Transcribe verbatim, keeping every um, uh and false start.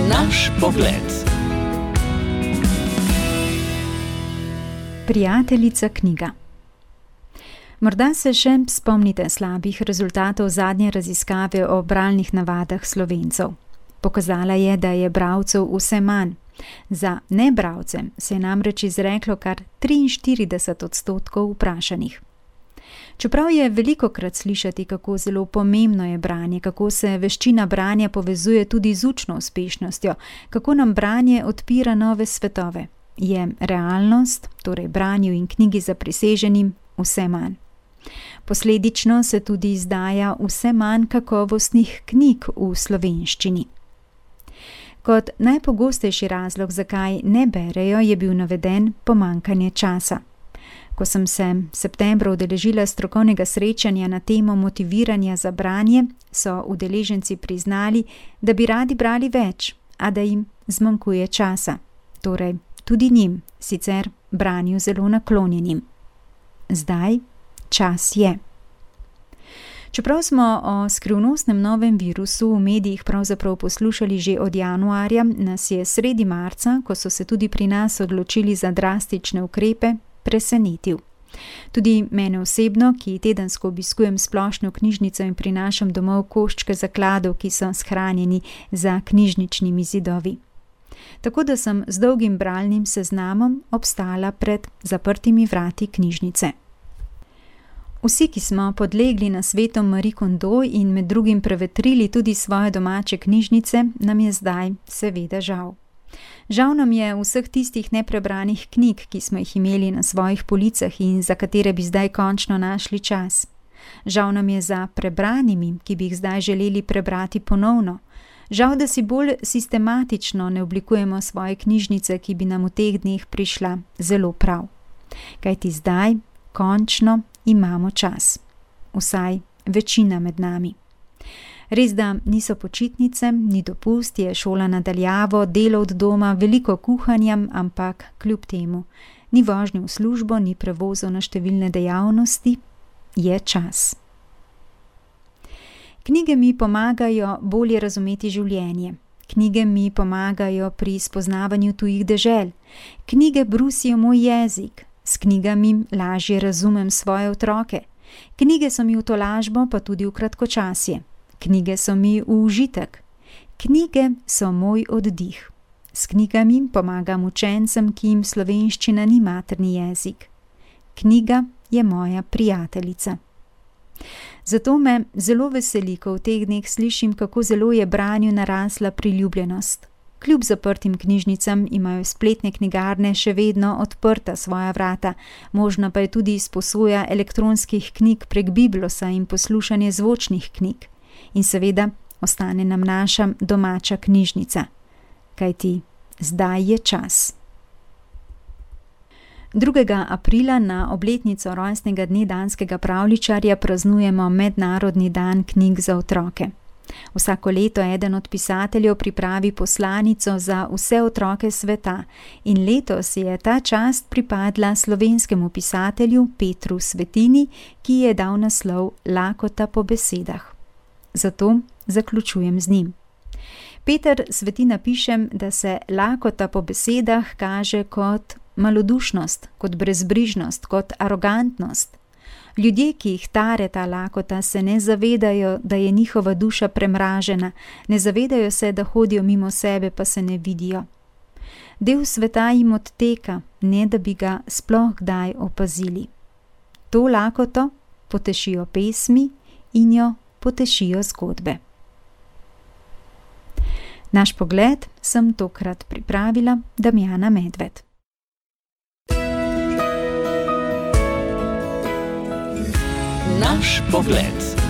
Naš pogled. Prijateljica knjiga. Morda se še spomnite slabih rezultatov zadnje raziskave o bralnih navadah Slovencev. Pokazala je, da je bralcev vse manj. Za nebralce se je namreč izreklo kar triinštirideset odstotkov vprašanih. Čeprav je velikokrat slišati, kako zelo pomembno je branje, kako se veščina branja povezuje tudi z učno uspešnostjo, kako nam branje odpira nove svetove, je realnost, torej branju in knjigi zapriseženim, vse manj. Posledično se tudi izdaja vse manj kakovostnih knjig v slovenščini. Kot najpogostejši razlog, zakaj ne berejo, je bil naveden pomanjkanje časa. Ko sem se septembra udeležila strokovnega srečanja na temo motiviranja za branje, so udeleženci priznali, da bi radi brali več, a da jim zmanjkuje časa. Torej, tudi njim, sicer branju zelo naklonjenim. Zdaj čas je. Čeprav smo o skrivnostnem novem virusu v medijih pravzaprav poslušali že od januarja, nas je sredi marca, ko so se tudi pri nas odločili za drastične ukrepe, presenetil. Tudi mene osebno, ki tedensko obiskujem splošno knjižnico in prinašam domov koščke zakladov, ki so shranjeni za knjižničnimi zidovi. Tako da sem z dolgim bralnim seznamom obstala pred zaprtimi vrati knjižnice. Vsi, ki smo podlegli na svetom Marie Kondo in med drugim prevetrili tudi svoje domače knjižnice, nam je zdaj seveda žal. Žal nam je vseh tistih neprebranih knjig, ki smo jih imeli na svojih policah in za katere bi zdaj končno našli čas. Žal nam je za prebranimi, ki bi jih zdaj želeli prebrati ponovno. Žal, da si bolj sistematično ne oblikujemo svoje knjižnice, ki bi nam v teh dneh prišla zelo prav. Kajti zdaj, končno, imamo čas. Vsaj večina med nami. Res, da niso počitnice, ni dopust, je šola na daljavo, delo od doma, veliko kuhanja, ampak kljub temu ni vožnje v službo, ni prevozov na številne dejavnosti, je čas. Knjige mi pomagajo bolje razumeti življenje. Knjige mi pomagajo pri spoznavanju tujih dežel. Knjige brusijo moj jezik. S knjigami lažje razumem svoje otroke. Knjige so mi v tolažbo, pa tudi v kratkočasje. Knjige so mi v užitek. Knjige so moj oddih. S knjigami pomagam učencem, ki jim slovenščina ni materni jezik. Knjiga je moja prijateljica. Zato me zelo veseli, ko v teh dneh slišim, kako zelo je branju narasla priljubljenost. Kljub zaprtim knjižnicam imajo spletne knjigarne še vedno odprta svoja vrata, možna pa je tudi izposoja elektronskih knjig prek Biblosa in poslušanje zvočnih knjig. In seveda ostane nam naša domača knjižnica. Kajti zdaj je čas. drugega aprila na obletnico rojstnega dne danskega pravljičarja praznujemo Mednarodni dan knjig za otroke. Vsako leto eden od pisateljev pripravi poslanico za vse otroke sveta in letos je ta čast pripadla slovenskemu pisatelju Petru Svetini, ki je dal naslov Lakota po besedah. Zato zaključujem z njim. Peter Svetina piše, da se lakota po besedah kaže kot malodušnost, kot brezbrižnost, kot arogantnost. Ljudje, ki jih tare ta lakota, se ne zavedajo, da je njihova duša premražena, ne zavedajo se, da hodijo mimo sebe, pa se ne vidijo. Del sveta jim odteka, ne da bi ga sploh kdaj opazili. To lakoto potešijo pesmi in jo potešijo zgodbe. Naš pogled sem tokrat pripravila Damjana Medved. Naš pogled.